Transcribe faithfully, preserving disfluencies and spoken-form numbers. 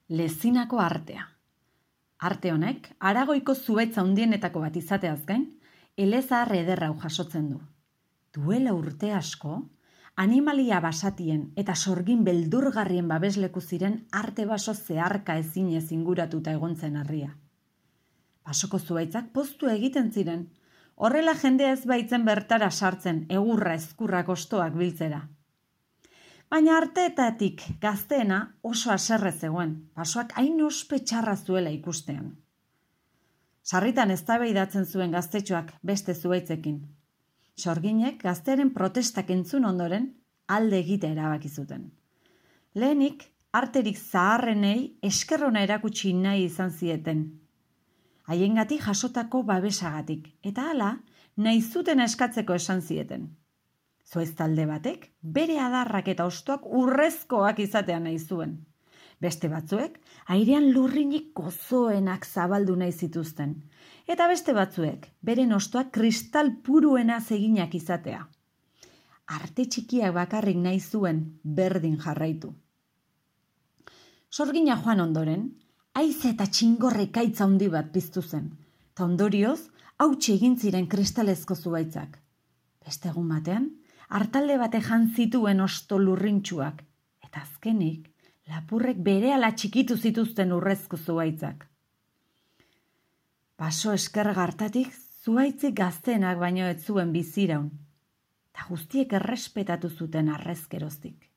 Lezinako artea. Arte honek, Aragoiko zuhaitz handienetako bat izateaz gain, elezahar ederra hau jasotzen du. Duela urte asko, animalia basatien eta sorgin beldurgarrien babesleku ziren arte baso zeharka ezinez inguratuta egon zen harria. Basoko zuhaitzak poztu egiten ziren, horrela jendea ez baitzen bertara sartzen egurra ezkurrak ostoak biltzera. Baina arteetatik gazteena oso haserre zegoen, basoak hain ospe txarra zuela ikustean. Sarritan eztabaidatzen zuen gaztetxoak beste zuhaitzekin. Sorginek gaztearen protestak entzun ondoren alde egite erabaki zuten. Lehenik, arterik zaharrenei eskerrona erakutsi nahi izan zieten. Haiengatik jasotako babesagatik, eta hala, nahi zuten eskatzeko esan zieten. Zuhaitz talde batek, bere adarrak eta hostoak urrezkoak izatea nahi zuen. Beste batzuek, airean lurrinik gozoenak zabaldu nahi zituzten. Eta beste batzuek, beren hostoak kristal puruena eginak izatea. Arte txikiak bakarrik nahi zuen berdin jarraitu. Sorgina joan ondoren, haize eta txingorre ekaitz handi bat piztu zen, eta ondorioz, hautsi egin ziren kristalezko zuhaitzak. Beste egun batean, hartalde bate jan zituen hosto lurrintxuak, eta azkenik, lapurrek berehala txikitu zituzten urrezko zuhaitzak. Baso eskerga hartatik zuhaitzik gazteenak baino ez zuen biziraun, eta guztiek errespetatu zuten harrezkeroztik.